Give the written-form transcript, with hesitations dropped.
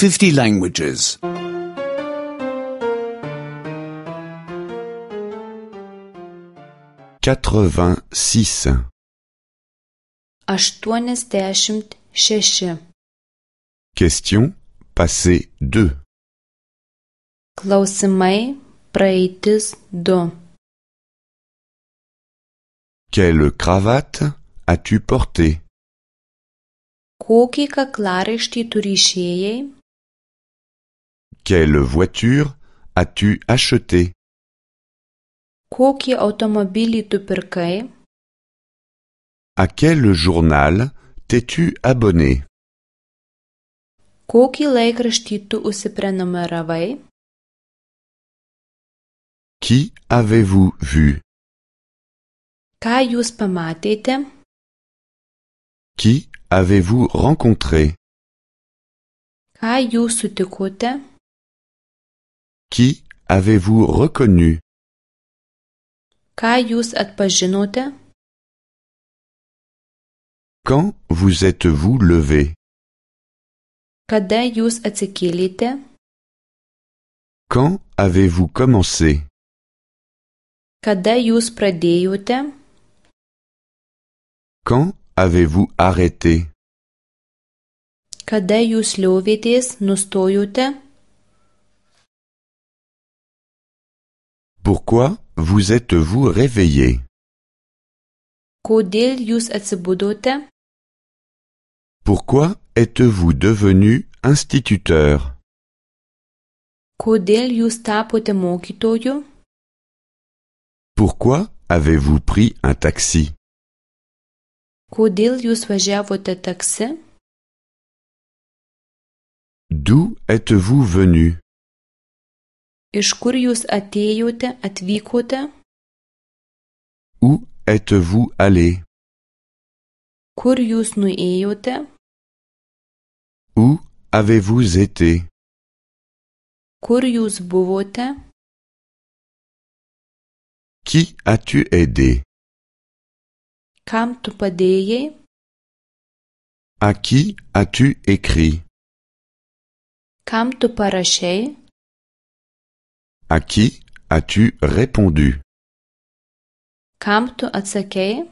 50 languages. 86. 86. Question passé 2. Klausimai praeitis 2. Quelle cravate as-tu porté? Kokį kaklaraištį tu ryšėjai? Quelle voiture as-tu acheté? Kokį automobilį tu pirkai? À quel journal t'es-tu abonné? Kokį laikraštį tu užsiprenumeravai? Qui avez-vous vu? Ką jūs pamatėte? Qui avez-vous rencontré? Ką jūs sutikote? Qui avez-vous reconnu? Ką jūs atpažinote? Quand vous êtes-vous levé? Kada jūs atsikėlėte? Quand avez-vous commencé? Kada jūs pradėjote? Quand avez-vous arrêté? Kada jūs liovėtės, nustojote? Pourquoi vous êtes-vous réveillé? Kodėl jūs atsibudote? Pourquoi êtes-vous devenu instituteur? Kodėl jūs tapote mokytoju? Pourquoi avez-vous pris un taxi? Kodėl jūs važiavote taksi? D'où êtes-vous venu? Iš kur jūs atėjote, atvykote? Où êtes-vous allé? Kur jūs nuėjote? Où avez-vous été? Kur jūs buvote? Qui as-tu aidé? Kam tu padėjai? À qui as-tu écrit? Kam tu parašei? À qui as-tu répondu? Kam tu atsakei?